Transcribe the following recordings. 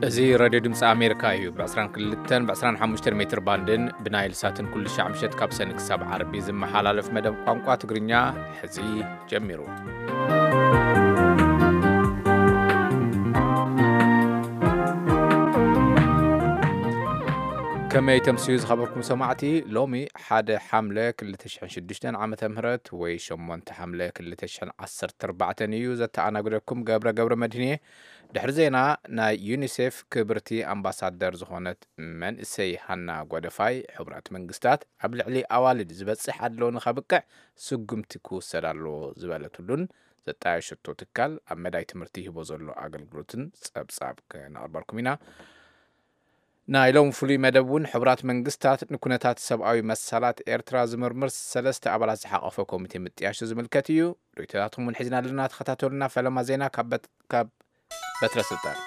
እዚ ሬድዮ ድምፂ ኣሜሪካ እዩ። ብ22 ብ25 ሜትር ባንድን ብናይል ሳትን ኩሉ ሻዕ ምሸት ካብ ሰኒ ክሳብ ዓርቢ ዝመሓላለፍ መደብ ቋንቋ ትግርኛ ሕዚ ጀሚሩ። ከመይ ተምስዩ ዝኸበርኩም ሰማዕቲ? ሎሚ ሓደ ሓምለ ክልተ ሽሕን ሽዱሽተን ዓመተ ምህረት ወይ ሸሞንተ ሓምለ ክልተ ሽሕን ዓሰርተ ኣርባዕተን እዩ። ዘተኣናግደኩም ገብረ ገብረ መድህን እየ። ድሕሪ ዜና፣ ናይ ዩኒሴፍ ክብርቲ ኣምባሳደር ዝኾነት መንእሰይ ሃና ጓደፋይ፣ ሕቡራት መንግስታት ኣብ ልዕሊ ኣዋልድ ዝበጽሕ ኣድሎ ንኸብቅዕ ስጉምቲ ክውሰድ ኣለዎ ዝበለትሉን ዘጣየሸቶ ትካል ኣብ መዳይ ትምህርቲ ይህቦ ዘሎ ኣገልግሎትን ጸብጻብ ክነቕርበልኩም ኢና። ናይ ሎሚ ፍሉይ መደብ እውን ሕቡራት መንግስታት ንኩነታት ሰብኣዊ መሰላት ኤርትራ ዝምርምር ሰለስተ ኣባላት ዝሓቐፈ ኮሚቴ ምጥያሹ ዝምልከት እዩ። ርእይቶታትኩም እውን ሒዝና ኣለና። ተኸታተሉና። ፈለማ ዜና ካብ በት-፣ ካብ በትረ ስልጣን።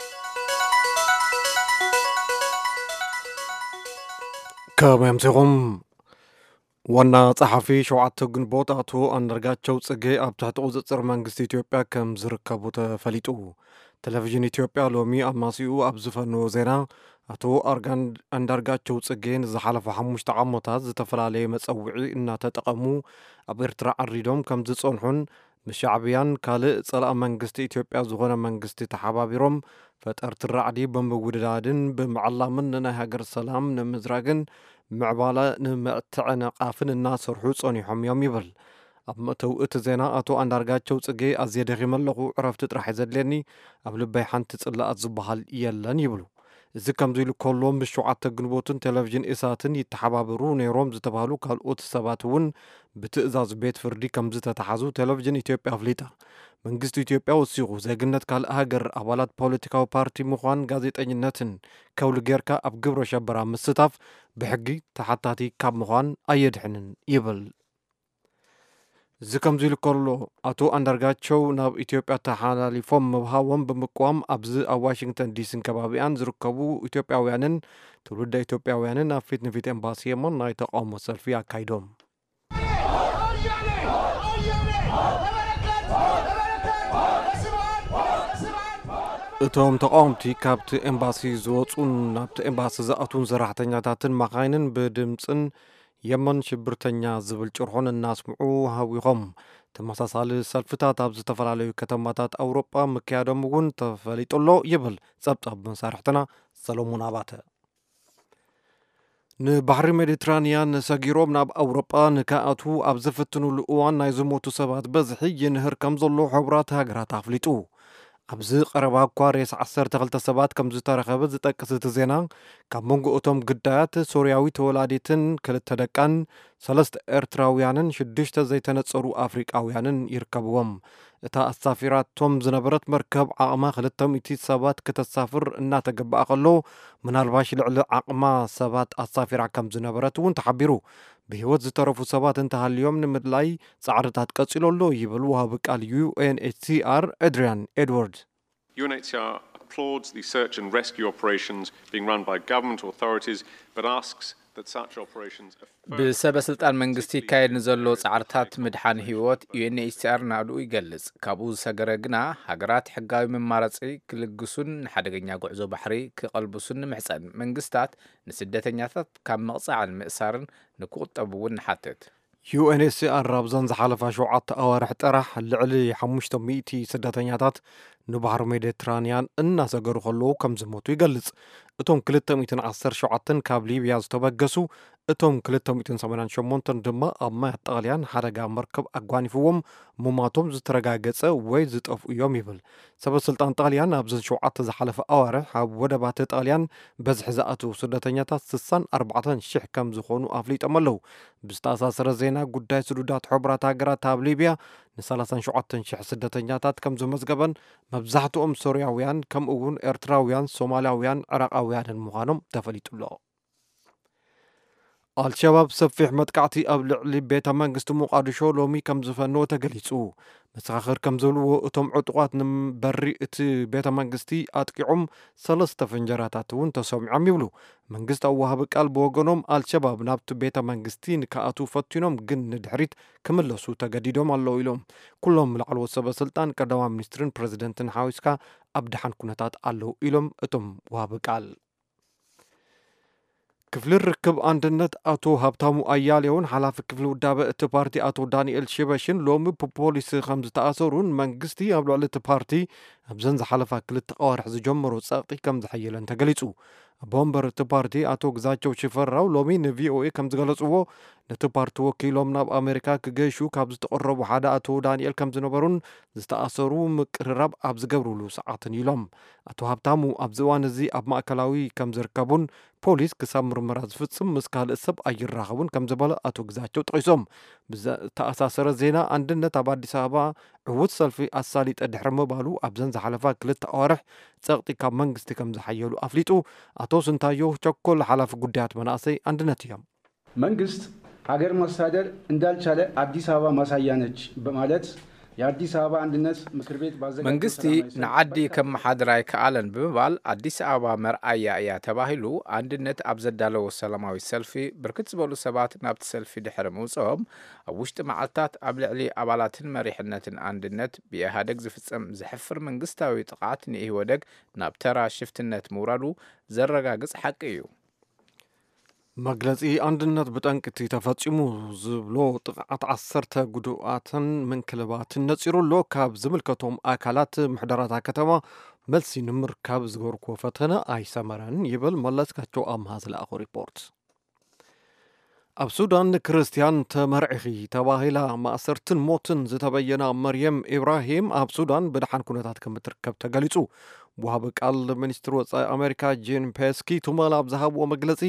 ከመይ ኣምሲኹም? ዋና ጸሓፊ ሸውዓተ ግንቦት ኣቶ ኣንዳርጋቸው ጽጌ ኣብ ትሕቲ ቁጽጽር መንግስቲ ኢትዮጵያ ከም ዝርከቡ ተፈሊጡ። ቴሌቪዥን ኢትዮጵያ ሎሚ ኣማሲኡ ኣብ ዝፈነዎ ዜና፣ ኣቶ ኣርጋን-፣ ኣንዳርጋቸው ጽጌ ንዝሓለፉ ሓሙሽተ ዓመታት ዝተፈላለየ መጸውዒ እናተጠቐሙ ኣብ ኤርትራ ዓሪዶም ከም ዝጸንሑን ምስ ሻዕብያን ካልእ ጸላኢ መንግስቲ ኢትዮጵያ ዝኾነ መንግስቲ ተሓባቢሮም ፈጠርቲ ራዕዲ ብምውድዳድን ብምዕላምን ንናይ ሃገር ሰላም ንምዝራግን ምዕባለ ንምትዕንቓፍን እናሰርሑ ጸኒሖም እዮም ይብል። ኣብ መእተዊ እቲ ዜና ኣቶ ኣንዳርጋቸው ጽጌ፣ ኣዝየ ደኺመ ኣለኹ፣ ዕረፍቲ ጥራሕ እዩ ዘድልየኒ፣ ኣብ ልበይ ሓንቲ ጽላኣት ዝበሃል የለን ይብሉ። እዚ ከምዚ ኢሉ ከሎ፣ ምስ ሸውዓተ ግንቦትን ቴሌቪዥን ኢሳትን ይተሓባበሩ ነይሮም ዝተባህሉ ካልኦት ሰባት እውን ብትእዛዝ ቤት ፍርዲ ከም ዝተታሓዙ ቴሌቪዥን ኢትዮጵያ ኣፍሊጣ። መንግስቲ ኢትዮጵያ ወሲኹ፣ ዜግነት ካልእ ሃገር፣ ኣባላት ፖለቲካዊ ፓርቲ ምዃን፣ ጋዜጠኝነትን ከውሊ ጌርካ ኣብ ግብረ ሸበራ ምስታፍ ብሕጊ ተሓታቲ ካብ ምዃን ኣየድሕንን ይብል። እዚ ከምዚ ኢሉ ከሎ፣ ኣቶ ኣንዳርጋቸው ናብ ኢትዮጵያ ተሓላሊፎም ምብሃዎም ብምቅዋም፣ ኣብዚ ኣብ ዋሽንግተን ዲሲን ከባቢኣን ዝርከቡ ኢትዮጵያውያንን ትውልደ ኢትዮጵያውያንን ኣብ ፊት ንፊት ኤምባሲ የመን ናይ ተቃውሞ ሰልፊ ኣካይዶም። እቶም ተቃወምቲ ካብቲ ኤምባሲ ዝወጹን ናብቲ ኤምባሲ ዝኣትዉን ሰራሕተኛታትን መኻይንን ብድምጽን የመን ሽብርተኛ ዝብል ጭርሖን እናስምዑ ሃዊኾም። ተመሳሳሊ ሰልፍታት ኣብ ዝተፈላለዩ ከተማታት ኣውሮጳ ምክያዶም እውን ተፈሊጡ ኣሎ ይብል ጸብጻብ መሳርሕትና ሰሎሞን ኣባተ። ንባሕሪ ሜዲትራንያን ሰጊሮም ናብ ኣውሮጳ ንክኣትዉ ኣብ ዝፍትኑሉ እዋን ናይ ዝሞቱ ሰባት በዝሒ ይንህር ከም ዘሎ ሕቡራት ሃገራት ኣፍሊጡ። ኣብዚ ቀረባ እኳ ሬሳ ዓሰርተ ክልተ ሰባት ከም ዝተረኸበ ዝጠቅስ እቲ ዜና፣ ካብ መንጎ እቶም ግዳያት ሶርያዊት ወላዲትን ክልተ ደቃን፣ ሰለስተ ኤርትራውያንን ሽዱሽተ ዘይተነጸሩ ኣፍሪቃውያንን ይርከብዎም። እታ ኣሳፊራቶም ዝነበረት መርከብ ዓቕማ ክልተ ሚእቲ ሰባት ከተሳፍር እናተገበኣ ከሎ፣ ምናልባሽ ልዕሊ ዓቕማ ሰባት ኣሳፊራ ከም ዝነበረት እውን ተሓቢሩ። ብህይወት ዝተረፉ ሰባት እንተሃልዮም ንምድላይ ጻዕርታት ቀጺሉ ኣሎ ይብል ወሃቢ ቃል ዩ ኤን ኤች ሲ ኣር ኣድሪያን ኤድዋርድ። U N H C R applauds the search and rescue operations being run by government authorities, but asks that such operations are further ብሰበ ስልጣን መንግስቲ ይካየድ ንዘሎ ጻዕርታት ምድሓን ህይወት ዩ ኤን ኤች ሲ ኣር ናእድኡ ይገልጽ። ካብኡ ዝሰገረ ግና፣ ሃገራት ሕጋዊ መማረጺ ክልግሱን ንሓደገኛ ጉዕዞ ባሕሪ ክቐልብሱን ንምሕጸን። መንግስታት ንስደተኛታት ካብ ምቕጻዕን ምእሳርን ንክቑጠቡ እውን ንሓትት። ዩ ኤን ኤች ሲ ኣር ኣብዘን ዝሓለፋ ሸውዓተ ኣዋርሕ ጥራሕ ልዕሊ ሓሙሽተ ሚእቲ ስደተኛታት ንባሕሪ ሜዲትራንያን እናሰገሩ ከለዉ ከም ዝሞቱ ይገልጽ። እቶም ክልተ ሚእትን ዓሰርተ ሸውዓተን ካብ ሊብያ ዝተበገሱ፣ እቶም ክልተ ሚእትን ሰማንያን ሸሞንተን ድማ ኣብ ማያት ጣልያን ሓደጋ መርከብ ኣጓኒፍዎም ምሟቶም ዝተረጋገጸ ወይ ዝጠፍኡ እዮም ይብል። ሰበ ስልጣን ጣልያን ኣብዘን ሸውዓተ ዝሓለፈ ኣዋርሕ ኣብ ወደባት ጣልያን በዝሒ ዝኣትዉ ስደተኛታት ስሳን ኣርባዕተን ሽሕ ከም ዝኾኑ ኣፍሊጦም ኣለዉ። ብዝተኣሳሰረ ዜና፣ ጉዳይ ስዱዳት ሕቡራት ሃገራት ኣብ ሊብያ ንሰላሳን ሸውዓተን ሽሕ ስደተኛታት ከም ዘመዝገበን፣ መብዛሕትኦም ሶርያውያን፣ ከምኡ እውን ኤርትራውያን፣ ሶማላውያን፣ ዕራቓውያንን ምዃኖም ተፈሊጡ ኣሎ። ኣልሸባብ ሰፊሕ መጥቃዕቲ ኣብ ልዕሊ ቤተ መንግስቲ ሞቃዲሾ ሎሚ ከም ዝፈነወ ተገሊጹ። መሰኻኽር ከም ዝብልዎ፣ እቶም ዕጡቓት ንበሪ እቲ ቤተ መንግስቲ ኣጥቂዖም፣ ሰለስተ ፍንጀራታት እውን ተሰሚዖም ይብሉ። መንግስታዊ ወሃቢ ቃል ብወገኖም፣ ኣልሸባብ ናብቲ ቤተ መንግስቲ ንክኣትዉ ፈቲኖም፣ ግን ንድሕሪት ክምለሱ ተገዲዶም ኣለዉ ኢሎም። ኩሎም ላዕለዎት ሰበ ስልጣን፣ ቀዳማይ ሚኒስትርን ፕረዚደንትን ሓዊስካ ኣብ ደሓን ኩነታት ኣለዉ ኢሎም እቶም ወሃቢ ቃል። ክፍሊ ርክብ ኣንድነት ኣቶ ሃብታሙ ኣያሌውን ሓላፊ ክፍሊ ውዳበ እቲ ፓርቲ ኣቶ ዳንኤል ሽበሽን ሎሚ ብፖሊስ ከም ዝተኣሰሩን መንግስቲ ኣብ ልዕሊ እቲ ፓርቲ ኣብዘን ዝሓለፋ ክልተ ኣዋርሕ ዝጀመሮ ጸቕጢ ከም ዝሓየለን ተገሊጹ። ኣቦ ወንበር እቲ ፓርቲ ኣቶ ግዛቸው ሽፈራው ሎሚ ንቪኦኤ ከም ዝገለጽዎ፣ ነቲ ፓርቲ ወኪሎም ናብ ኣሜሪካ ክገሹ ካብ ዝተቐረቡ ሓደ ኣቶ ዳንኤል ከም ዝነበሩን ዝተኣሰሩ ምቅርራብ ኣብ ዝገብርሉ ሰዓትን ኢሎም። ኣቶ ሃብታሙ ኣብዚ እዋን እዚ ኣብ ማእከላዊ ከም ዝርከቡን ፖሊስ ክሳብ ምርመራ ዝፍጽም ምስ ካልእ ሰብ ኣይራኸቡን ከም ዝበለ ኣቶ ግዛቸው ጠቒሶም። ብዝተኣሳሰረ ዜና፣ ኣንድነት ኣብ ኣዲስ ኣበባ ዕዉት ሰልፊ ኣሳሊጠ ድሕሪ ምባሉ ኣብዘን ዝሓለፋ ክልተ ኣዋርሕ ጸቕጢ ካብ መንግስቲ ከም ዝሓየሉ ኣፍሊጡ። ኣቶ ስንታዮ ቸኮል ሓላፊ ጉዳያት መናእሰይ ኣንድነት እዮም። መንግስት ሀገር ማስተዳደር እንዳልቻለ አዲስ አበባ ማሳያ ነች በማለት የአዲስ አበባ አንድነት ምክር ቤት ባዘጋጀው መንግስቲ ሰላማዊ ሰልፍ ንዓዲ በርካታ ከመሓድር ኣይከኣለን ብምባል ኣዲስ ኣበባ መርኣያ እያ ተባሂሉ ኣንድነት ኣብ ዘዳለዎ ሰላማዊ ሰልፊ ብርክት ዝበሉ ሰባት ናብቲ ሰልፊ ድሕሪ ምውፅኦም ኣብ ውሽጢ መዓልታት ኣብ ልዕሊ ኣባላትን መሪሕነትን ኣንድነት ብኢህኣደግ ዝፍፀም ዘሕፍር መንግስታዊ ጥቕዓት ንኢህወደግ ናብ ተራ ሽፍትነት ምውራዱ ዘረጋግፅ ሓቂ እዩ። መግለጺ ኣንድነት ብጠንቂ እቲ ተፈጺሙ ዝብሎ ጥቕዓት ዓሰርተ ጉዱኣትን ምንክልባትን ነጺሩ ኣሎ። ካብ ዝምልከቶም ኣካላት ምሕደራታ ከተማ መልሲ ንምርካብ ዝገበርኩዎ ፈተነ ኣይሰመረን ይብል መለስካቸው ኣምሃ ዝለኣኾ ሪፖርት። ኣብ ሱዳን ንክርስትያን ተመርዒኺ ተባሂላ ማእሰርትን ሞትን ዝተበየና መርየም ኢብራሂም ኣብ ሱዳን ብደሓን ኩነታት ከም እትርከብ ተገሊጹ። ወሃቢ ቃል ሚኒስትሪ ወጻኢ ኣሜሪካ ጂን ፔስኪ ትማል ኣብ ዝሃብዎ መግለጺ፣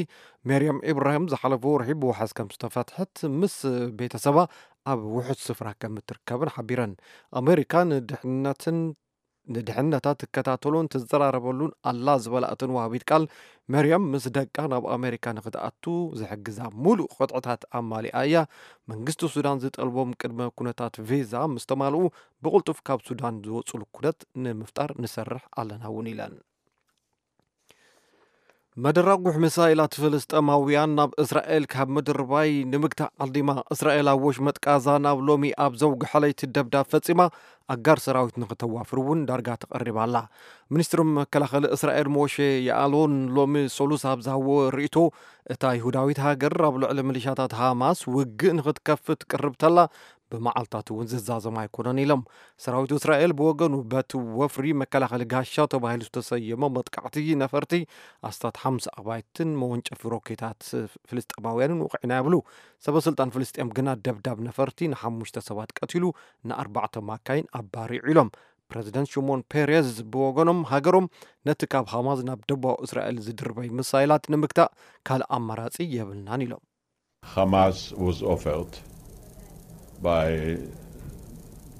መርየም ኢብራሂም ዝሓለፈ ወርሒ ብዋሕስ ከም ዝተፈትሐት ምስ ቤተሰባ ኣብ ውሑስ ስፍራ ከም እትርከብን ሓቢረን። ኣሜሪካ ንድሕነትን ንድሕነታ ትከታተሎን ትዘራረበሉን ኣላ ዝበላ እተን ወሃቢት ቃል፣ መርያም ምስ ደቃ ናብ ኣሜሪካ ንክትኣቱ ዝሕግዛ ሙሉእ ቅጥዕታት ኣማሊኣ እያ። መንግስቲ ሱዳን ዝጠልቦም ቅድመ ኩነታት ቪዛ ምስ ተማልኡ ብቕልጡፍ ካብ ሱዳን ዝወፅሉ ኩነት ንምፍጣር ንሰርሕ ኣለና እውን ኢለን። መደራጉሕ ሚሳይላት ፍልስጤማውያን ናብ እስራኤል ካብ ምድርባይ ንምግታእ ዓዲማ። እስራኤል ኣብ ወሽመጥ ቃዛ ናብ ሎሚ ኣብ ዘውግሐ ለይቲ ደብዳብ ፈጺማ፣ ኣጋር ሰራዊት ንክተዋፍር እውን ዳርጋ ተቐሪባ ኣላ። ሚኒስትሪ መከላኸሊ እስራኤል ሞሼ ያኣሎን ሎሚ ሰሉስ ኣብ ዝሃብዎ ርእይቶ፣ እታ ይሁዳዊት ሃገር ኣብ ልዕሊ ሚሊሻታት ሃማስ ውግእ ንክትከፍት ቅርብ ተላ፣ ብመዓልታት እውን ዝዛዘም ኣይኮነን ኢሎም። ሰራዊት እስራኤል ብወገኑ፣ በቲ ወፍሪ መከላኸሊ ጋሻ ተባሂሉ ዝተሰየመ መጥቃዕቲ ነፈርቲ ኣስታት ሓምሳ ኣባይትን መወንጨፊ ሮኬታት ፍልስጤማውያንን ውቕዒና ይብሉ። ሰበስልጣን ፍልስጤም ግና፣ ደብዳብ ነፈርቲ ንሓሙሽተ ሰባት ቀቲሉ፣ ንኣርባዕተ ማካይን ኣባሪዑ ኢሎም። ፕረዚደንት ሽሞን ፔሬዝ ብወገኖም፣ ሃገሮም ነቲ ካብ ሃማስ ናብ ደቡባዊ እስራኤል ዝድርበይ ምሳይላት ንምግታእ ካልእ ኣማራጺ የብልናን ኢሎም። Hamas was offered by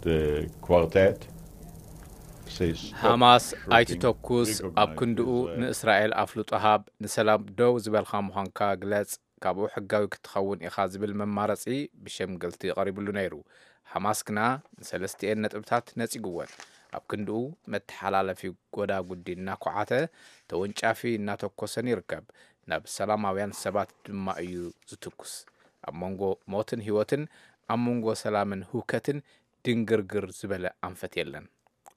the quartet. ሃማስ ኣይትተኩስ፣ ኣብ ክንድኡ ንእስራኤል ኣፍልጦ ሃብ፣ ንሰላም ደው ዝበልካ ምዃንካ ግለጽ፣ ካብኡ ሕጋዊ ክትኸውን ኢኻ ዝብል መማረጺ ብሸምገልቲ ቀሪብሉ ነይሩ። ሃማስ ግና ንሰለስቲኤን ነጥብታት ነጺግወን። ኣብ ክንድኡ መተሓላለፊ ጎዳጉዲ እናኳዓተ፣ ተወንጫፊ እናተኮሰን ይርከብ። ናብ ሰላማውያን ሰባት ድማ እዩ ዝትኩስ። ኣብ መንጎ ሞትን ህይወትን፣ ኣብ መንጎ ሰላምን ህውከትን ድንግርግር ዝበለ ኣንፈት የለን።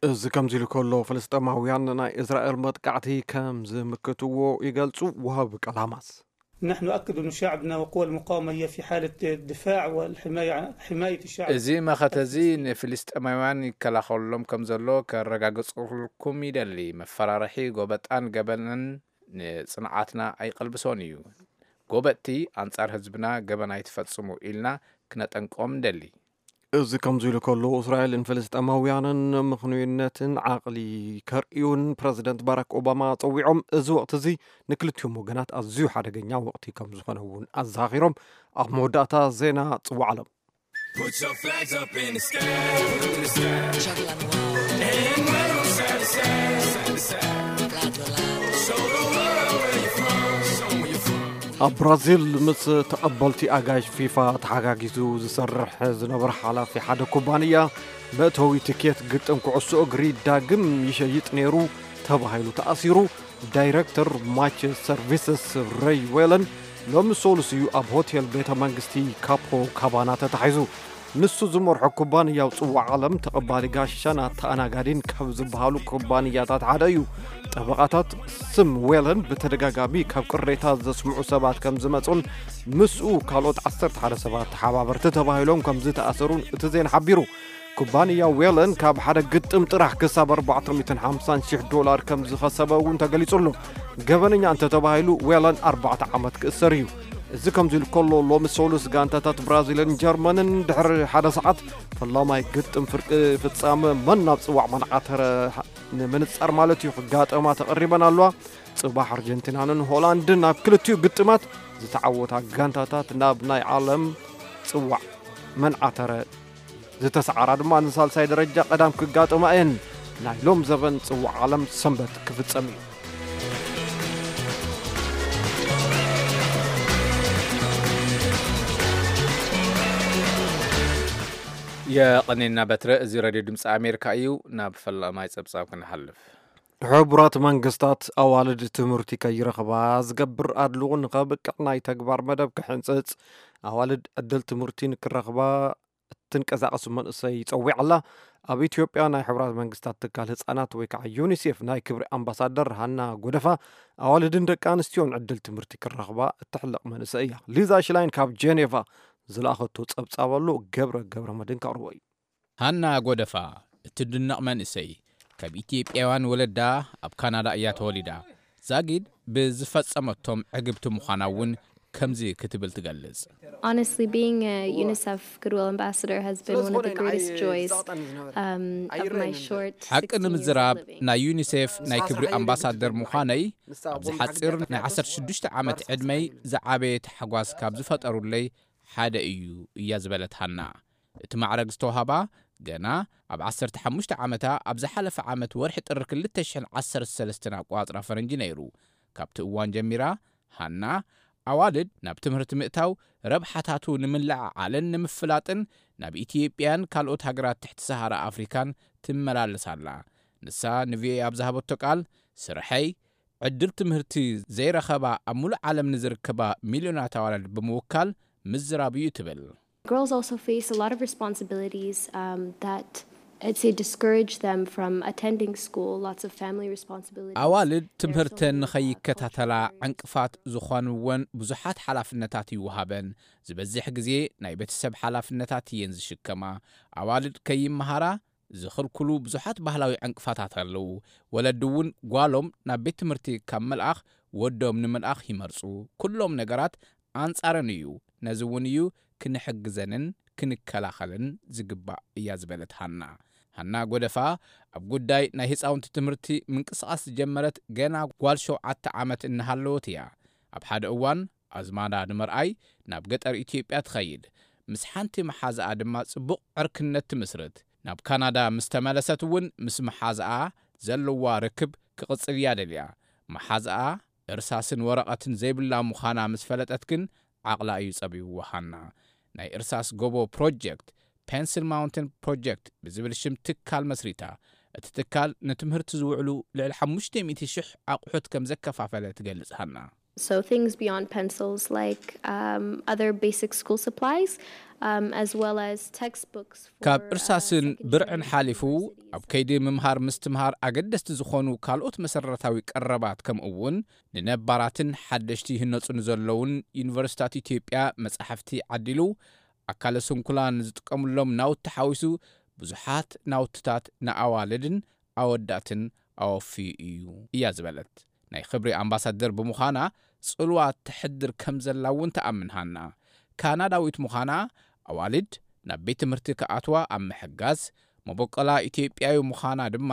እዚ ከምዚ ኢሉ ከሎ፣ ፍልስጤማውያን ንናይ እስራኤል መጥቃዕቲ ከም ዝምክትዎ ይገልጹ ወሃቢ ቃል ሃማስ። نحن نؤكد أن شعبنا وقوى المقاومة هي في حالة دفاع والحماية حماية الشعب. እዚ መኸተ እዚ ንፍልስጤማውያን ይከላኸለሎም ከም ዘሎ ከረጋግጽልኩም ይደሊ። መፈራርሒ፣ ጎበጣን ገበንን ንጽንዓትና ኣይቐልብሶን እዩ። ጎበጥቲ ኣንጻር ህዝብና ገበን ኣይትፈጽሙ ኢልና ክነጠንቅቖም ንደሊ። እዚ ከምዚ ኢሉ ከሎ፣ እስራኤልን ፍልስጤማውያንን ምኽኑይነትን ዓቕሊ ከርእዩን ፕረዚደንት ባራክ ኦባማ ጸዊዖም፣ እዚ ወቕቲ እዚ ንክልቲኦም ወገናት ኣዝዩ ሓደገኛ ወቕቲ ከም ዝኾነ እውን ኣዘኻኺሮም። ኣብ መወዳእታ ዜና ጽዋዕ ዓለም። ኣብ ብራዚል ምስ ተቐበልቲ ኣጋይሽ ፊፋ ተሓጋጊዙ ዝሰርሕ ዝነበረ ሓላፊ ሓደ ኩባንያ መእተዊ ትኬት ግጥም ኩዕሶ እግሪ ዳግም ይሸይጥ ነይሩ ተባሂሉ ተኣሲሩ። ዳይረክተር ማች ሰርቪስስ ረይ ዌለን ሎሚ ሰሉስ እዩ ኣብ ሆቴል ቤተ መንግስቲ ካፖ ካባና ተታሒዙ። ንሱ ዝመርሖ ኩባንያው ጽዋዕ ዓለም ተቐባሊ ጋሻን ኣተኣናጋዲን ካብ ዝበሃሉ ኩባንያታት ሓደ እዩ። ጠበቓታት ስም ዌለን ብተደጋጋሚ ካብ ቅሬታ ዘስምዑ ሰባት ከም ዝመጹን ምስኡ ካልኦት ዓሰርተ ሓደ ሰባት ተሓባበርቲ ተባሂሎም ከም ዝተኣሰሩን እቲ ዜና ሓቢሩ። ኩባንያ ዌለን ካብ ሓደ ግጥም ጥራሕ ክሳብ ኣርባዕተ ሚእትን ሓምሳን ሽሕ ዶላር ከም ዝኸሰበ እውን ተገሊጹ ኣሎ። ገበነኛ እንተተባሂሉ ዌለን ኣርባዕተ ዓመት ክእሰር እዩ። እዚ ከምዚ ኢሉ ከሎ ሎሚ ሰሉስ ጋንታታት ብራዚልን ጀርመንን ድሕሪ ሓደ ሰዓት ፈላማይ ግጥም ፍርቂ ፍጻመ መን ናብ ጽዋዕ መንዓተረ ንምንጻር ማለት እዩ ክጋጠማ ተቐሪበን ኣለዋ። ጽባሕ ኣርጀንቲናንን ሆላንድን ኣብ ክልቲኡ ግጥማት ዝተዓወታ ጋንታታት ናብ ናይ ዓለም ጽዋዕ መንዓተረ ዝተሰዓራ ድማ ንሳልሳይ ደረጃ ቀዳም ክጋጠማ እየን። ናይ ሎም ዘበን ጽዋዕ ዓለም ሰንበት ክፍጸም እዩ። የቐኔና በትረ። እዚ ሬድዮ ድምፂ ኣሜሪካ እዩ። ናብ ፈላማይ ጸብጻብ ክንሓልፍ። ሕቡራት መንግስታት ኣዋልድ ትምህርቲ ከይረኽባ ዝገብር ኣድልዎ ንኸብቅዕ ናይ ተግባር መደብ ክሕንጽጽ ኣዋልድ ዕድል ትምህርቲ ንክረኽባ እትንቀሳቐሱ መንእሰይ ይጸዊዕ ኣላ። ኣብ ኢትዮጵያ ናይ ሕቡራት መንግስታት ትካል ህጻናት ወይ ከዓ ዩኒሴፍ ናይ ክብሪ ኣምባሳደር ሃና ጎደፋ ኣዋልድን ደቂ ኣንስትዮን ዕድል ትምህርቲ ክረኽባ እትሕለቕ መንእሰይ እያ። ሊዛ ሽላይን ካብ ጀኔቫ ዝለኣኸቶ ጸብጻብ ኣሎ። ገብረ ገብረ መድህን ከቕርቦ እዩ። ሃና ጎደፋ እትድነቕ መንእሰይ ካብ ኢትዮጵያውያን ወለዳ ኣብ ካናዳ እያ ተወሊዳ። ዛጊድ ብዝፈጸመቶም ዕግብቲ ምዃና እውን ከምዚ ክትብል ትገልጽ። Honestly, being a UNICEF Goodwill Ambassador has been one of the greatest joys um, of my short ሓቂ ንምዝራብ ናይ ዩኒሴፍ ናይ ክብሪ ኣምባሳደር ምዃነይ ኣብዚ ሓፂር ናይ ዓሰርተ ሽዱሽተ ዓመት ዕድመይ ዝዓበየ ተሓጓስ ካብ ዝፈጠሩለይ ሓደ እዩ እያ ዝበለት ሃና። እቲ ማዕረግ ዝተዋህባ ገና ኣብ ዓሰርተ ሓሙሽተ ዓመታ ኣብ ዝሓለፈ ዓመት ወርሒ ጥሪ ክልተ ሽሕን ዓሰርተ ሰለስተን ኣቋፅራ ፈረንጂ ነይሩ። ካብቲ እዋን ጀሚራ ሃና ኣዋልድ ናብ ትምህርቲ ምእታው ረብሓታቱ ንምልዕዓልን ንምፍላጥን ናብ ኢትዮጵያን ካልኦት ሃገራት ትሕቲ ሰሃራ ኣፍሪካን ትመላለስ ኣላ። ንሳ ንቪኦኤ ኣብ ዝሃበቶ ቃል ስርሐይ ዕድል ትምህርቲ ዘይረኸባ ኣብ ሙሉእ ዓለም ንዝርከባ ሚልዮናት ኣዋልድ ብምውካል ምዝራብ እዩ ትብል። Girls also face a lot of responsibilities um, that I'd say discourage them from attending school, lots of family responsibilities. ኣዋልድ ትምህርተን ንኸይከታተላ ዕንቅፋት ዝኾንወን ብዙሓት ሓላፍነታት ይወሃበን። ዝበዝሕ ግዜ ናይ ቤተሰብ ሓላፍነታት እየን ዝሽከማ። ኣዋልድ ከይመሃራ ዝኽልክሉ ብዙሓት ባህላዊ ዕንቅፋታት ኣለዉ። ወለዲ እውን ጓሎም ናብ ቤት ትምህርቲ ካብ ምልኣኽ ወዶም ንምልኣኽ ይመርፁ። ኩሎም ነገራት ኣንጻረን እዩ። ነዚ እውን እዩ ክንሕግዘንን ክንከላኸልን ዝግባእ እያ ዝበለት ሃና። ሃና ጎደፋ ኣብ ጉዳይ ናይ ህፃውንቲ ትምህርቲ ምንቅስቓስ ዝጀመረት ገና ጓል ሸውዓተ ዓመት እናሃለወት እያ። ኣብ ሓደ እዋን ኣዝማዳ ንምርኣይ ናብ ገጠር ኢትዮጵያ ትኸይድ። ምስ ሓንቲ መሓዝኣ ድማ ጽቡቕ ዕርክነት ትምስርት። ናብ ካናዳ ምስ ተመለሰት እውን ምስ መሓዝኣ ዘለዋ ርክብ ክቕጽል እያ ደልያ። መሓዝኣ እርሳስን ወረቐትን ዘይብላ ምዃና ምስ ፈለጠት ግን ዓቕላ እዩ ጸቢብዋ። ሃና ናይ እርሳስ ጎቦ ፕሮጀክት፣ ፔንስል ማውንትን ፕሮጀክት ብዝብል ሽም ትካል መስሪታ። እቲ ትካል ንትምህርቲ ዝውዕሉ ልዕሊ ሓሙሽተ ሚእቲ ሽሕ ኣቑሑት ከም ዘከፋፈለ ትገልጽ ሃና። So things beyond pencils like um, other basic school supplies um, as well as textbooks. ካብ እርሳስን ብርዕን ሓሊፉ ኣብ ከይዲ ምምሃር ምስትምሃር ኣገደስቲ ዝኾኑ ካልኦት መሰረታዊ ቀረባት ከምኡ እውን ንነባራትን ሓደሽቲ ይህነፁ ንዘለውን ዩኒቨርሲታት ኢትዮጵያ መጻሕፍቲ ዓዲሉ ኣካለ ስንኩላን ዝጥቀምሎም ናውቲ ሓዊሱ ብዙሓት ናውትታት ንኣዋልድን ኣወዳትን ኣወፍዩ እዩ እያ ዝበለት። ናይ ክብሪ ኣምባሳደር ብምዃና ጽልዋ ተሕድር ከም ዘላ እውን ተኣምን ሃና። ካናዳዊት ምዃና ኣዋልድ ናብ ቤት ትምህርቲ ክኣትዋ ኣብ ምሕጋዝ፣ መበቆላ ኢትዮጵያዊ ምዃና ድማ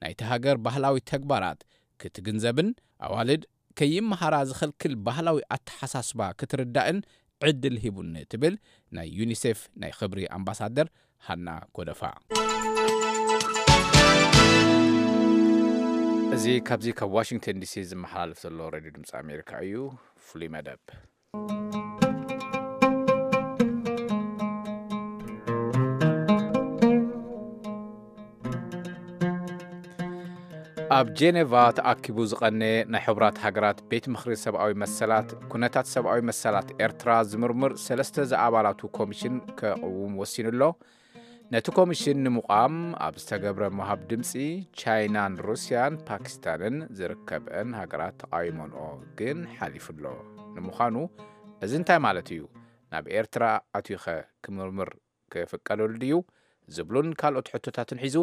ናይቲ ሃገር ባህላዊ ተግባራት ክትግንዘብን ኣዋልድ ከይመሃራ ዝኸልክል ባህላዊ ኣተሓሳስባ ክትርዳእን ዕድል ሂቡኒ ትብል ናይ ዩኒሴፍ ናይ ክብሪ ኣምባሳደር ሃና ጎደፋ። እዚ ካብዚ ካብ ዋሽንግተን ዲሲ ዝመሓላለፍ ዘሎ ሬድዮ ድምፂ ኣሜሪካ እዩ። ፍሉይ መደብ ኣብ ጄኔቫ ተኣኪቡ ዝቐነ ናይ ሕቡራት ሃገራት ቤት ምኽሪ ሰብኣዊ መሰላት፣ ኩነታት ሰብኣዊ መሰላት ኤርትራ ዝምርምር ሰለስተ ዝኣባላቱ ኮሚሽን ከቕውም ወሲኑ ኣሎ። ነቲ ኮሚሽን ንምቋም ኣብ ዝተገብረ ምሃብ ድምፂ፣ ቻይናን ሩስያን ፓኪስታንን ዝርከበን ሃገራት ተቓዊሞንኦ ግን ሓሊፉ ኣሎ። ንምዃኑ እዚ እንታይ ማለት እዩ? ናብ ኤርትራ ኣትዩኸ ክምርምር ክፍቀደሉ ድዩ? ዝብሉን ካልኦት ሕቶታትን ሒዙ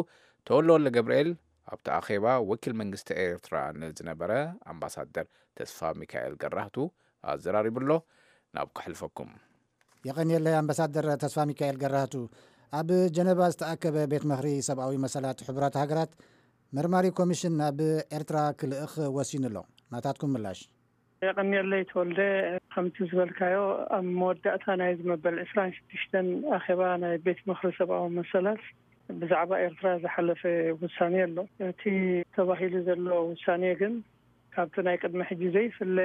ተወልደ ወልደ ገብርኤል ኣብቲ ኣኼባ ወኪል መንግስቲ ኤርትራ ንዝነበረ ኣምባሳደር ተስፋ ሚካኤል ገራህቱ ኣዘራሪቡ ኣሎ። ናብ ከሕልፈኩም። የቐንየለይ ኣምባሳደር ተስፋ ሚካኤል ገራህቱ። ኣብ ጀነቫ ዝተኣከበ ቤት ምኽሪ ሰብኣዊ መሰላት ሕቡራት ሃገራት መርማሪ ኮሚሽን ናብ ኤርትራ ክልእኽ ወሲኑ ኣሎ። ናታትኩም ምላሽ? የቐንየለይ ተወልደ። ከምቲ ዝበልካዮ፣ ኣብ መወዳእታ ናይ ዝመበል ዕስራን ሽዱሽተን ኣኼባ ናይ ቤት ምኽሪ ሰብኣዊ መሰላት ብዛዕባ ኤርትራ ዝሓለፈ ውሳኔ ኣሎ። እቲ ተባሂሉ ዘሎ ውሳኔ ግን ካብቲ ናይ ቅድሚ ሕጂ ዘይፍለ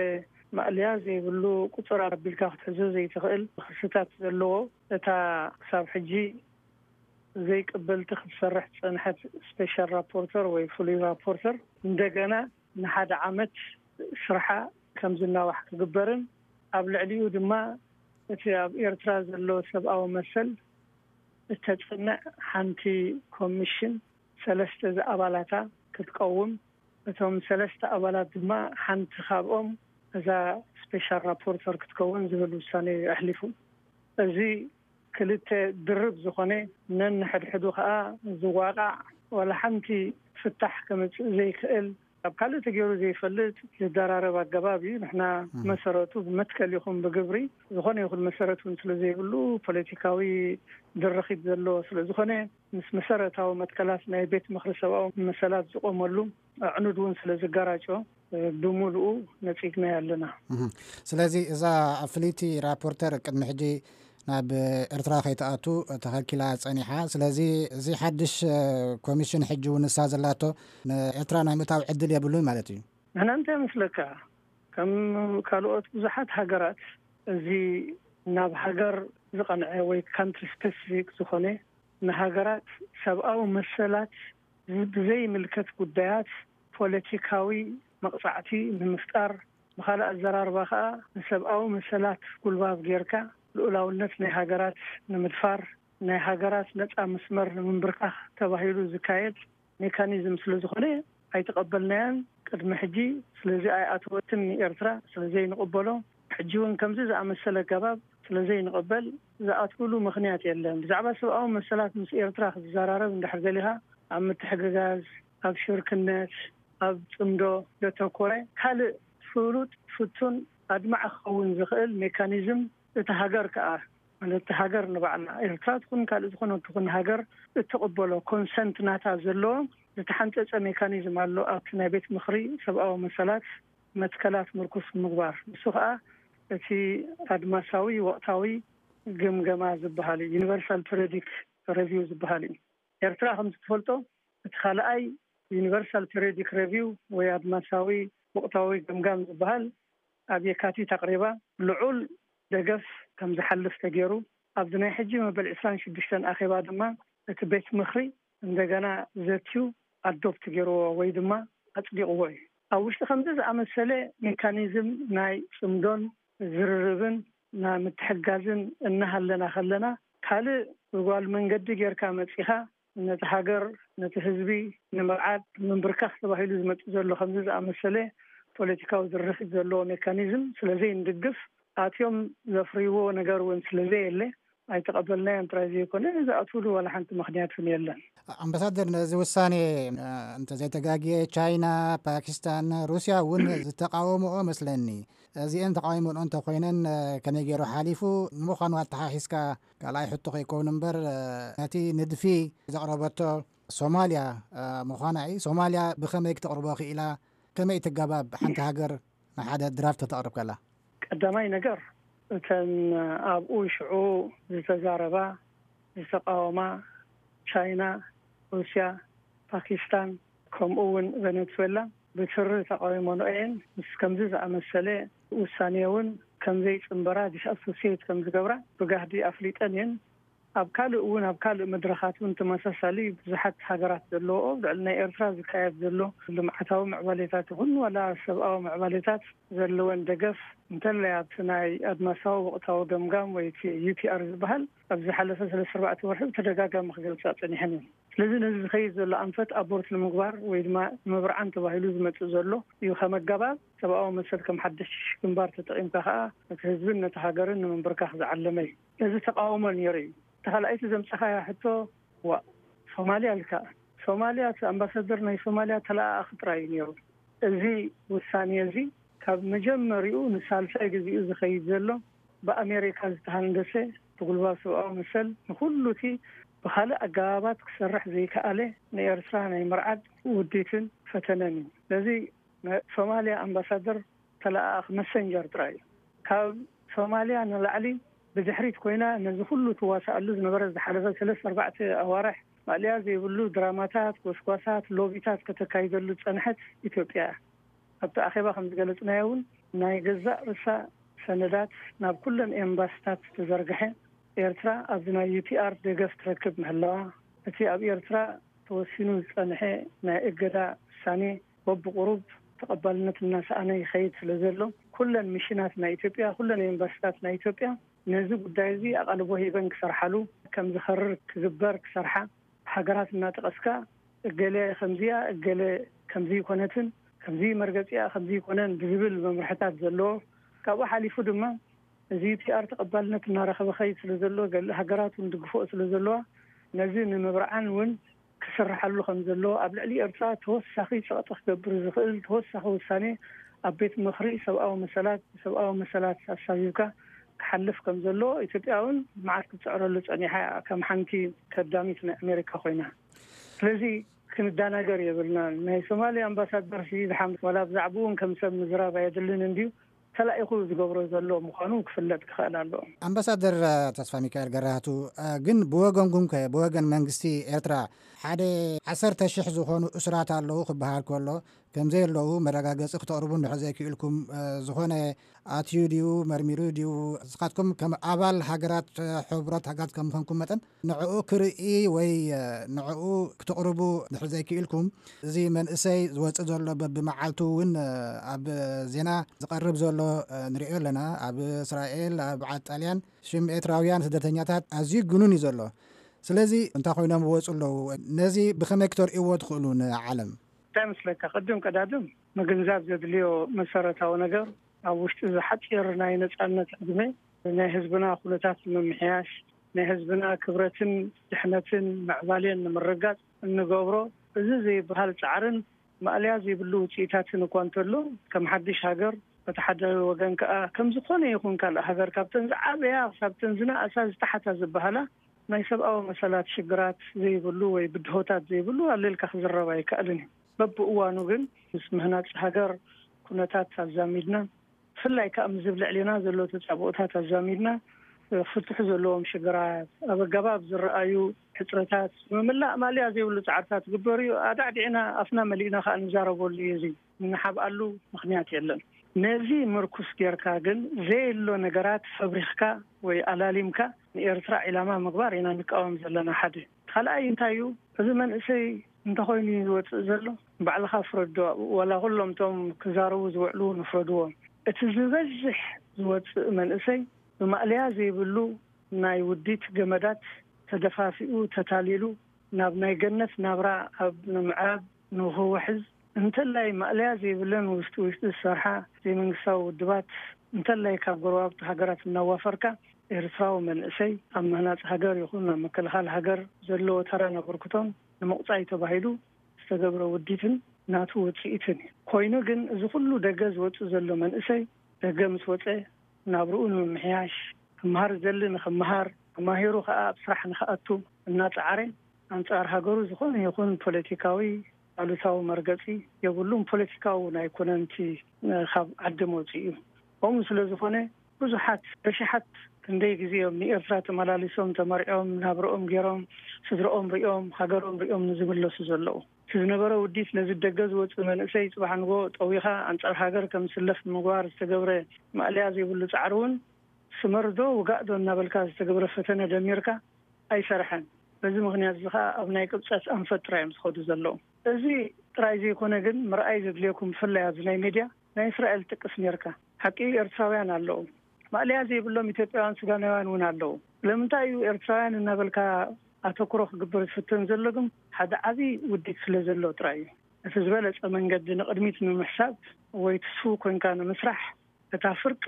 ማእለያ ዘይብሉ ቁጽር ኣቢልካ ክትሕዞ ዘይትኽእል ክስታት ዘለዎ፣ እታ ክሳብ ሕጂ ዘይቅበልቲ ክትሰርሕ ዝጸንሐት ስፔሻል ራፖርተር ወይ ፍሉይ ራፖርተር እንደገና ንሓደ ዓመት ስርሓ ከም ዝናዋሕ ክግበርን ኣብ ልዕሊኡ ድማ እቲ ኣብ ኤርትራ ዘሎ ሰብኣዊ መሰል እተጽንዕ ሓንቲ ኮሚሽን ሰለስተ ዝኣባላታ ክትቀውም፣ እቶም ሰለስተ ኣባላት ድማ ሓንቲ ካብኦም እዛ ስፔሻል ራፖርተር ክትከውን ዝብል ውሳኔ ኣሕሊፉ። እዚ ክልተ ድርብ ዝኾነ ነንሕድሕዱ ከኣ ዝዋቃዕ ዋላ ሓንቲ ፍታሕ ከምጽእ ዘይክእል ኣብ ካልእ ተገይሩ ዘይፈልጥ ዝደራረብ ኣገባብ እዩ። ንሕና መሰረቱ ብመትከል ይኹን ብግብሪ ዝኾነ ይኹን መሰረት እውን ስለ ዘይብሉ ፖለቲካዊ ድርኺት ዘለዎ ስለ ዝኾነ ምስ መሰረታዊ መትከላት ናይ ቤት ምኽሪ ሰብኣዊ መሰላት ዝቆመሉ ኣዕኑድ እውን ስለ ዝጋራጮ ብምሉኡ ነጺግናዮ ኣለና። ስለዚ እዛ ፍልይቲ ራፖርተር ቅድሚ ሕጂ ናብ ኤርትራ ከይትኣቱ ተኸልኪላ ጸኒሓ። ስለዚ እዚ ሓድሽ ኮሚሽን ሕጂ እውን ንሳ ዘላቶ ንኤርትራ ናይ ምእታው ዕድል የብሉን ማለት እዩ። ንሕና እንታይ መስለካ፣ ከም ካልኦት ብዙሓት ሃገራት እዚ ናብ ሃገር ዝቐንዐ ወይ ካንትሪ ስፔሲፊክ ዝኾነ ንሃገራት ሰብኣዊ መሰላት ብዘይምልከት ጉዳያት ፖለቲካዊ መቕጻዕቲ ንምፍጣር፣ ብኻልእ ኣዘራርባ ከኣ ንሰብኣዊ መሰላት ጉልባብ ጌርካ ልኡላውነት ናይ ሃገራት ንምድፋር፣ ናይ ሃገራት ነጻ መስመር ንምንብርካኽ ተባሂሉ ዝካየድ ሜካኒዝም ስለ ዝኾነ ኣይተቐበልናያን። ቅድሚ ሕጂ ስለዚ ኣይኣተወትን ንኤርትራ ስለ ዘይንቕበሎ፣ ሕጂ እውን ከምዚ ዝኣመሰለ ኣገባብ ስለ ዘይንቕበል ዝኣትውሉ ምኽንያት የለን። ብዛዕባ ሰብኣዊ መሰላት ምስ ኤርትራ ክትዘራረብ እንድሕር ደሊኻ ኣብ ምትሕግጋዝ፣ ኣብ ሽርክነት፣ ኣብ ጽምዶ ዘተኮረ ካልእ ፍሉጥ ፍቱን ኣድማዒ ክኸውን ዝኽእል ሜካኒዝም እቲ ሃገር ከኣ ማለት እቲ ሃገር ንባዕላ ኤርትራ ትኹን ካልእ ዝኾነ ትኹን ሃገር እትቕበሎ ኮንሰንት ናታ ዘለዎ ዝተሓንጸጸ ሜካኒዝም ኣሎ ኣብቲ ናይ ቤት ምኽሪ ሰብኣዊ መሰላት መትከላት ምርኩስ ምግባር። ንሱ ከኣ እቲ ኣድማሳዊ ወቕታዊ ግምገማ ዝበሃል እዩ፣ ዩኒቨርሳል ፔሪዮዲክ ሬቪው ዝበሃል እዩ። ኤርትራ ከም ትፈልጦ እቲ ካልኣይ ዩኒቨርሳል ፔሪዮዲክ ሬቪው ወይ ኣድማሳዊ ወቕታዊ ገምጋም ዝበሃል ኣብ የካቲት ኣቕሪባ ልዑል ደገፍ ከም ዝሓልፍ ተገይሩ። ኣብዚ ናይ ሕጂ መበል ዕስራን ሽዱሽተን ኣኼባ ድማ እቲ ቤት ምኽሪ እንደገና ዘትዩ ኣዶፕት ገይርዎ ወይ ድማ ኣጽዲቕዎ እዩ። ኣብ ውሽጢ ከምዚ ዝኣመሰለ ሜካኒዝም ናይ ጽምዶን ዝርርብን ናይ ምትሕጋዝን እናሃለና ከለና ካልእ ብጓል መንገዲ ጌርካ መጺኻ ነቲ ሃገር፣ ነቲ ህዝቢ ንምርዓድ፣ ንምንብርካኽ ተባሂሉ ዝመጽእ ዘሎ ከምዚ ዝኣመሰለ ፖለቲካዊ ድርኺት ዘለዎ ሜካኒዝም ስለ ዘይንድግፍ፣ ኣትዮም ዘፍርይዎ ነገር እውን ስለ ዘየለ፣ ኣይተቐበልናዮን ጥራይ ዘይኮነ፣ ዝኣትውሉ ዋላ ሓንቲ ምኽንያት እውን የለን። ኣምባሳደር፣ ነዚ ውሳኔ፣ እ፣ እንተዘይተጋግየ፣ ቻይና፣ ፓኪስታን፣ ሩስያ እውን ዝተቃወምኦ መስለኒ። እዚአን ተቃዊመንኦ እንተኮይነን፣ እ፣ ከመይ ገይሩ ሓሊፉ? ንምዃኑ ኣተሓሒዝካ ካልኣይ ሕቶ ከይከውን እምበር፣ እ፣ ነቲ ንድፊ ዘቕረበቶ ሶማልያ፣ እ፣ ምዃና እዩ። ሶማልያ ብኸመይ ክተቕርቦ ክኢላ? ከመይ እቲ ኣገባብ ሓንቲ ሃገር ንሓደ ድራፍት ክተቕርብ ከላ? ቀዳማይ ነገር፣ እተን ኣብኡ ሽዑ ዝተዛረባ፣ ዝተቃወማ፣ ቻይና፣ ሩስያ፣ ፓኪስታን፣ ከምኡ እውን ቬኔትዌላ ብትሪ ተቃዊመንኦ እየን። ምስ ከምዚ ዝኣመሰለ ውሳኔ እውን ከም ዘይጽንበራ፣ ዲስኣሶሲየት ከም ዝገብራ ብጋህዲ ኣፍሊጠን እየን። ኣብ ካልእ እውን፣ ኣብ ካልእ መድረኻት እውን ተመሳሳሊ ብዙሓት ሃገራት ዘለዎኦ ኣብ ልዕሊ ናይ ኤርትራ ዝካየድ ዘሎ ልምዓታዊ ምዕባሌታት ይኹን ዋላ ሰብኣዊ ምዕባሌታት ዘለወን ደገፍ እንተላይ ኣብቲ ናይ ኣድማሳዊ ወቕታዊ ገምጋም ወይ እቲ ዩ ቲ ኣር ዝበሃል ኣብ ዝሓለፈ ሰለስተ ኣርባዕተ ወርሒ ብተደጋጋሚ ክገልጻ ጸኒሐን እየን። ስለዚ ነዚ ዝኸይድ ዘሎ ኣንፈት ኣቦርት ንምግባር ወይ ድማ ንምብርዓን ተባሂሉ ዝመጽእ ዘሎ እዩ። ከም ኣገባብ ሰብኣዊ መሰል ከም ሓድሽ ግንባር ተጠቒምካ ከኣ ነቲ ህዝብን ነቲ ሃገርን ንምንብርካኽ ዝዓለመ እዩ። እዚ ተቃውሞ ነይሩ እዩ። እቲ ካልኣይቲ ዘምጻኻያ ሕቶ፣ ዋ፣ ሶማልያ ኢልካ። ሶማልያ፣ እቲ ኣምባሳደር ናይ ሶማልያ ተለኣኣኺ ጥራይ እዩ ነይሩ። እዚ ውሳኔ እዚ ካብ መጀመሪኡ ንሳልሳይ ግዜኡ ዝኸይድ ዘሎ ብኣሜሪካ ዝተሃንደሰ ብጉልባብ ሰብኣዊ መሰል ንኹሉ እቲ ብኻልእ ኣገባባት ክሰርሕ ዘይከኣለ ንኤርትራ ናይ ምርዓድ ውዲትን ፈተነን እዩ። ስለዚ ናይ ሶማልያ ኣምባሳደር ተለኣኣኽ መሰንጀር ጥራይ እዩ። ካብ ሶማልያ ንላዕሊ ብድሕሪት ኮይና ነዚ ኩሉ ትዋሳኣሉ ዝነበረ ዝሓለፈ ሰለስተ ኣርባዕተ ኣዋርሕ ማእለያ ዘይብሉ ድራማታት፣ ጎስጓሳት፣ ሎቢታት ከተካይደሉ ዝጸንሐት ኢትዮጵያ እያ። ኣብቲ ኣኼባ ከም ዝገለጽናዮ እውን ናይ ገዛእ ርእሳ ሰነዳት ናብ ኩለን ኤምባስታት ዝተዘርግሐ ኤርትራ ኣብዚ ናይ ዩ ቲ ኣር ደገፍ ትረክብ ምህላዋ፣ እቲ ኣብ ኤርትራ ተወሲኑ ዝጸንሐ ናይ እገዳ ውሳኔ በብቁሩብ ተቐባልነት እናሰኣነ ይኸይድ ስለ ዘሎ፣ ኩለን ሚሽናት ናይ ኢትዮጵያ፣ ኩለን ኤምባሲታት ናይ ኢትዮጵያ ነዚ ጉዳይ እዚ ኣቓልቦ ሂበን ክሰርሓሉ፣ ከም ዝኸርር ክግበር ክሰርሓ፣ ሃገራት እናጠቐስካ እገለ ከምዚያ፣ እገለ ከምዚ ይኮነትን፣ ከምዚ መርገጺኣ ከምዚ ይኮነን ብዝብል መምርሕታት ዘለዎ፣ ካብኡ ሓሊፉ ድማ እዚ ዩ ቲ ኣር ተቐባልነት እናረኸበ ኸይድ ስለ ዘሎ፣ ገለ ሃገራት እውን ድግፍኦ ስለ ዘለዋ፣ ነዚ ንምብርዓን እውን ክስርሓሉ ከም ዘለዎ፣ ኣብ ልዕሊ ኤርትራ ተወሳኺ ጸቕጢ ክገብር ዝኽእል ተወሳኺ ውሳኔ ኣብ ቤት ምኽሪ ሰብኣዊ መሰላት፣ ሰብኣዊ መሰላት ኣሳቢብካ ክሓልፍ ከም ዘለዎ ኢትዮጵያ እውን መዓት ክትጽዕረሉ ጸኒሓ እያ፣ ከም ሓንቲ ከዳሚት ናይ ኣሜሪካ ኮይና። ስለዚ ክንደናገር የብልናን። ናይ ሶማሊ ኣምባሳደር ሲ ዝሓምስ ዋላ ብዛዕባኡ እውን ከም ሰብ ምዝራብ ኣየድልን እንድዩ፣ ተላኢኹ ዝገብሮ ዘሎ ምዃኑ ክፍለጥ ክኽእል ኣለዎ። ኣምባሳደር ተስፋ ሚካኤል ገራህቱ፣ ግን ብወገንኩም ከ፣ ብወገን መንግስቲ ኤርትራ ሓደ ዓሰርተ ሽሕ ዝኾኑ እሱራት ኣለዉ ክበሃል ከሎ፣ ከም ዘየለዉ መረጋገጺ ክተቕርቡ እንድሕር ዘይክእልኩም፣ ዝኾነ ኣትዩ ድዩ መርሚሩ ድዩ፣ ንስኻትኩም ከም ኣባል ሃገራት፣ ሕብረት ሃገራት ከም ምዃንኩም መጠን ንዕኡ ክርኢ ወይ ንዕኡ ክትቕርቡ እንድሕር ዘይክእልኩም፣ እዚ መንእሰይ ዝወጽእ ዘሎ በብመዓልቱ እውን ኣብ ዜና ዝቐርብ ዘሎ ንሪኦ ኣለና። ኣብ እስራኤል፣ ኣብ ዓዲ ጣልያን ሽም ኤርትራውያን ስደተኛታት ኣዝዩ ግኑን እዩ ዘሎ። ስለዚ እንታይ ኮይኖም ይወጹ ኣለዉ? ነዚ ብኸመይ ክተርእይዎ ትኽእሉ ንዓለም? እንታይ መስለካ፣ ቅድም ቀዳድም ምግንዛብ ዘድልዮ መሰረታዊ ነገር፣ ኣብ ውሽጢ እዚ ሓጺር ናይ ነጻነት ዕድመ ናይ ህዝብና ኩነታት ንምምሕያሽ፣ ናይ ህዝብና ክብረትን ድሕነትን ምዕባሌን ንምርጋጽ እንገብሮ እዚ ዘይበሃል ጻዕርን ማእለያ ዘይብሉ ውጽኢታትን እኳ እንተሎ፣ ከም ሓድሽ ሃገር፣ በቲ ሓደ ወገን ከኣ ከም ዝኾነ ይኹን ካልእ ሃገር ካብተን ዝዓበያ ክሳብ ተን ዝነኣሳ ዝተሓታ ዝበሃላ ናይ ሰብኣዊ መሰላት ሽግራት ዘይብሉ ወይ ብድሆታት ዘይብሉ ኣለልካ ክዝረብ ኣይከኣልን እዩ። በብእዋኑ ግን ምስ ምህናጽ ሃገር ኩነታት ኣዛሚድና፣ ብፍላይ ከኣ ምስ ልዕሌና ዘሎ ተጻብኦታት ኣዛሚድና፣ ፍትሑ ዘለዎም ሽግራት፣ ኣብ ኣገባብ ዝረኣዩ ሕጽረታት፣ ምምላእ ማልያ ዘይብሉ ጻዕርታት ዝግበር እዩ። ኣዳዕዲዕና ኣፍና መሊእና ከኣ ንዛረበሉ እዩ። እዚ ንሓብኣሉ ምኽንያት የለን። ነዚ ምርኩስ ጌርካ ግን ዘየሎ ነገራት ፈብሪኽካ ወይ ኣላሊምካ ንኤርትራ ዒላማ ምግባር ኢና ንቃወም ዘለና። ሓደ ካልኣይ እንታይ እዩ? እዚ መንእሰይ እንተኾይኑ እዩ ዝወጽእ ዘሎ፣ ባዕልኻ ፍረዶ። ኣብኡ ዋላ ኩሎም እቶም ክዛረቡ ዝውዕሉ ንፍረድዎም። እቲ ዝበዝሕ ዝወጽእ መንእሰይ ብማእለያ ዘይብሉ ናይ ውዲት ገመዳት ተደፋፊኡ፣ ተታሊሉ፣ ናብ ናይ ገነት ናብራ ኣብ ንምዕራብ ንኽውሕዝ፣ እንተላይ ማእለያ ዘይብለን ውሽጢ ውሽጢ ዝሰርሓ ዘይመንግስታዊ ውድባት፣ እንተላይ ካብ ጎረባብቲ ሃገራት እናዋፈርካ፣ ኤርትራዊ መንእሰይ ኣብ ምህናጽ ሃገር ይኹን ኣብ ምክልኻል ሃገር ዘለዎ ተራን ኣበርክቶን ንምቑጻይ ተባሂሉ ዝተገብረ ውዲትን ናቱ ውጽኢትን እዩ። ኮይኑ ግን እዚ ኩሉ ደገ ዝወጽእ ዘሎ መንእሰይ፣ ደገ ምስ ወጸ ናብርኡ ንምምሕያሽ፣ ክመሃር ዝደሊ ንኽመሃር፣ ተማሂሩ ከኣ ኣብ ስራሕ ንኽኣቱ እናጸዓረ፣ ኣንጻር ሃገሩ ዝኾነ ይኹን ፖለቲካዊ ኣሉታዊ መርገጺ የብሉን። ፖለቲካዊ እውን ኣይኮነን እቲ፣ እ፣ ካብ ዓዲ መውጽኡ እዩ። ከምኡ ስለ ዝኾነ ብዙሓት፣ ብሽሓት ክንደይ ግዜ እዮም ንኤርትራ ተመላሊሶም፣ ተመርዕዮም፣ ናብርኦም ገይሮም፣ ስድርኦም ሪኦም፣ ሃገሮም ሪኦም ንዝምለሱ ዘለዉ። እቲ ዝነበረ ውዲት ነዚ ደገ ዝወፅእ መንእሰይ ፅባሕ ንጎ ጠዊኻ ኣንፃር ሃገር ከም ዝስለፍ ንምግባር ዝተገብረ ማእለያ ዘይብሉ ፃዕሪ እውን ስመርዶ ውጋእዶ እናበልካ ዝተገብረ ፈተነ ደሚርካ ኣይሰርሐን። በዚ ምኽንያት እዚ ከዓ ኣብ ናይ ቅብፀት ኣንፈት ጥራይ እዮም ዝኸዱ ዘለዉ። እዚ ጥራይ ዘይኮነ ግን ምርኣይ ዘድልየኩም ብፍላይ ኣብዚ ናይ ሜድያ ናይ እስራኤል ትቅስ ነርካ። ሓቂ ኤርትራውያን ኣለዉ። ማእለያ ዘይብሎም ኢትዮጵያውያን ሱዳናውያን እውን ኣለዉ። ስለምንታይ እዩ ኤርትራውያን እናበልካ ኣተኩሮ ክግበር ዝፍተን ዘሎ? ግን ሓደ ዓብዪ ውዲት ስለ ዘሎ ጥራይ እዩ። እቲ ዝበለጸ መንገዲ ንቕድሚት ንምሕሳብ ወይ ትስፉው ኮንካ ንምስራሕ እታ ፍርቂ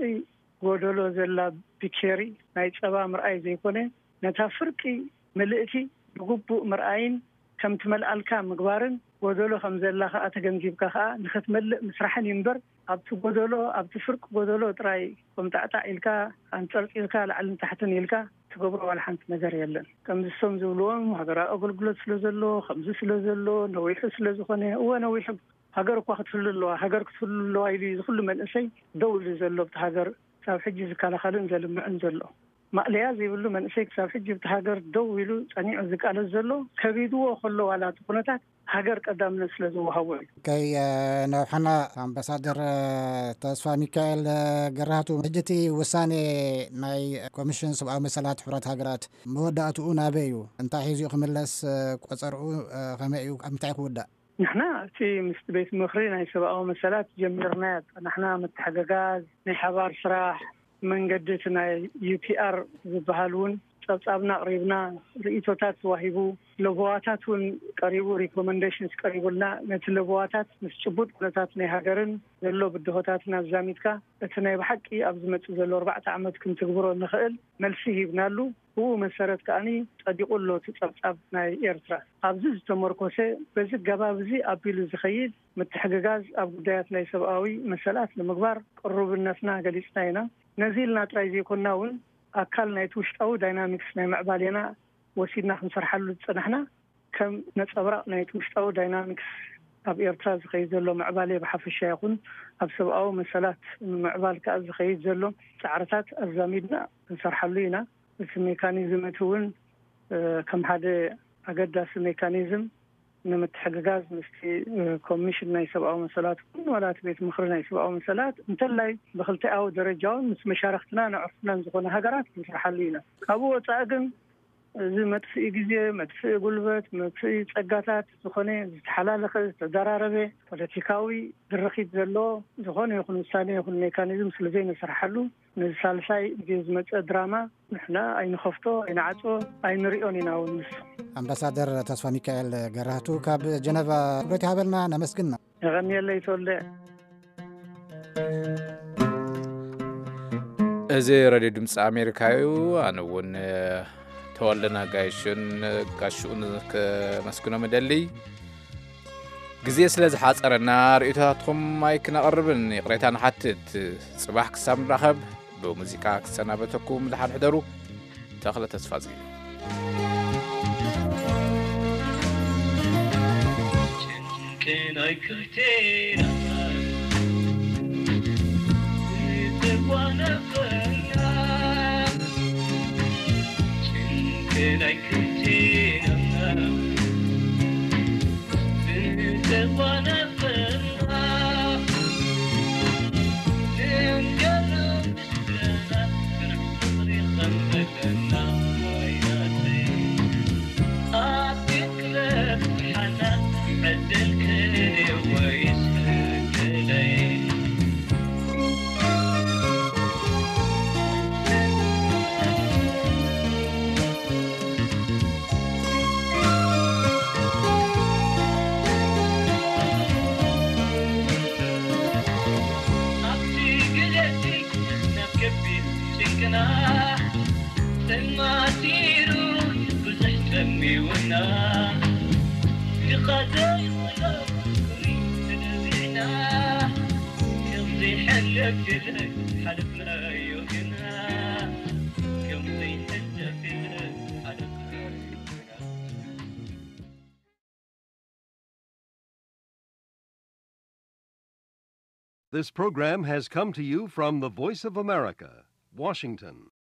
ጎደሎ ዘላ ቢኬሪ ናይ ጸባ ምርኣይ ዘይኮነ ነታ ፍርቂ ምልእቲ ብግቡእ ምርኣይን ከም ትመልኣልካ ምግባርን ጎደሎ ከም ዘላ ከኣ ተገንዚብካ ከኣ ንኽትመልእ ምስራሕን እዩ እምበር ኣብቲ ጎደሎ ኣብቲ ፍርቂ ጎደሎ ጥራይ ቆምጣዕጣዕ ኢልካ ኣንጸርጺርካ ላዕልን ታሕትን ኢልካ ትገብሮ ዋላ ሓንቲ ነገር የለን። ከምዚ እሶም ዝብልዎም ሃገራዊ ኣገልግሎት ስለ ዘሎ ከምዚ ስለ ዘሎ ነዊሑ ስለ ዝኾነ እወ ነዊሑ ሃገር እኳ ክትህሉ ኣለዋ ሃገር ክትህሉ ኣለዋ ኢሉ እዩ ዝኩሉ መንእሰይ ደው ኢሉ ዘሎ ኣብቲ ሃገር ክሳብ ሕጂ ዝከላኸልን ዘልምዕን ዘሎ። ማእለያ ዘይብሉ መንእሰይ ክሳብ ሕጂ ኣብቲ ሃገር ደው ኢሉ ጸኒዑ ዝቃለስ ዘሎ ከቢድዎ ከሎ ዋላ እቲ ኩነታት ሃገር ቀዳምነት ስለ ዝወሃቦ እዩ። ከይ ነውሐና ኣምባሳደር ተስፋ ሚካኤል ገራህቱ፣ ሕጂ እቲ ውሳኔ ናይ ኮሚሽን ሰብኣዊ መሰላት ሕቡራት ሃገራት መወዳእትኡ ናበይ እዩ? እንታይ ሒዙ እዩ ክምለስ? ቆጸርኡ ከመይ እዩ? ኣብ ምንታይ ክውዳእ? ንሕና እቲ ምስ ቤት ምኽሪ ናይ ሰብኣዊ መሰላት ጀሚርናዮ ዝጸናሕና ምትሕግጋዝ ናይ ሓባር ስራሕ መንገዲ እቲ ናይ ዩ ፒ ኣር ዝበሃል እውን ጸብጻብና ኣቕሪብና ርእይቶታት ተዋሂቡ ለበዋታት እውን ቀሪቡ ሪኮመንዴሽንስ ቀሪቡልና ነቲ ለበዋታት ምስ ጭቡጥ ኩነታት ናይ ሃገርን ዘሎ ብድሆታትን ኣዛሚድካ እቲ ናይ ብሓቂ ኣብ ዝመጽእ ዘሎ ኣርባዕተ ዓመት ክንትግብሮ እንኽእል መልሲ ሂብናሉ። ብኡ መሰረት ከኣኒ ጸዲቑ ኣሎ እቲ ጸብጻብ ናይ ኤርትራ። ኣብዚ ዝተመርኮሰ በዚ ኣገባብ እዚ ኣቢሉ ዝኸይድ ምትሕግጋዝ ኣብ ጉዳያት ናይ ሰብኣዊ መሰላት ንምግባር ቅሩብነትና ገሊጽና ኢና። ነዚ ኢልና ጥራይ ዘይኮንና እውን ኣካል ናይቲ ውሽጣዊ ዳይናሚክስ ናይ ምዕባሌና ወሲድና ክንሰርሓሉ ዝጸናሕና ከም ነጸብራቕ ናይቲ ውሽጣዊ ዳይናሚክስ ኣብ ኤርትራ ዝኸይድ ዘሎ ምዕባሌ ብሓፈሻ ይኹን ኣብ ሰብኣዊ መሰላት ንምምዕባል ከኣ ዝኸይድ ዘሎ ጻዕርታት ኣዛሚድና ክንሰርሓሉ ኢና። እቲ ሜካኒዝም እቲ እውን ከም ሓደ ኣገዳሲ ሜካኒዝም ንምትሕግጋዝ ምስቲ ኮሚሽን ናይ ሰብኣዊ መሰላት እውን ዋላ እቲ ቤት ምኽሪ ናይ ሰብኣዊ መሰላት እንተላይ ብክልቲኣዊ ደረጃ እውን ምስ መሻርክትናን ኣዕሩኽትናን ዝኾነ ሃገራት ክንሰርሓሉ ኢና። ካብኡ ወፃኢ ግን እዚ መጥፍኢ ግዜ፣ መጥፍኢ ጉልበት፣ መጥፍኢ ፀጋታት ዝኾነ ዝተሓላለኸ ዝተደራረበ ፖለቲካዊ ድርኺት ዘለዎ ዝኾነ ይኹን ውሳኔ ይኹን ሜካኒዝም ስለ ዘይነስርሓሉ ነዚ ሳልሳይ ግዜ ዝመፀ ድራማ ንሕና ኣይንኸፍቶ ኣይንዓፅዎ ኣይንሪኦን ኢና እውን ንሱ። ኣምባሳደር ተስፋ ሚካኤል ገራህቱ ካብ ጀነቫ ክብረት ይሃበልና ነመስግና። የቐንየለይ ተወልደ። እዚ ረድዮ ድምፂ ኣሜሪካ እዩ። ኣነ እውን ተወልደ ነጋይሽን ጋሽኡን ከመስግኖም እደሊ። ግዜ ስለ ዝሓፀረና ርእይቶታትኩም ኣይክነቕርብን ይቕሬታ ንሓትት። ፅባሕ ክሳብ ንራኸብ ብሙዚቃ ክሰናበተኩም ድሓን ሕደሩ። ተኽለ ተስፋ ዝጊ This program has come to you from the Voice of America, Washington.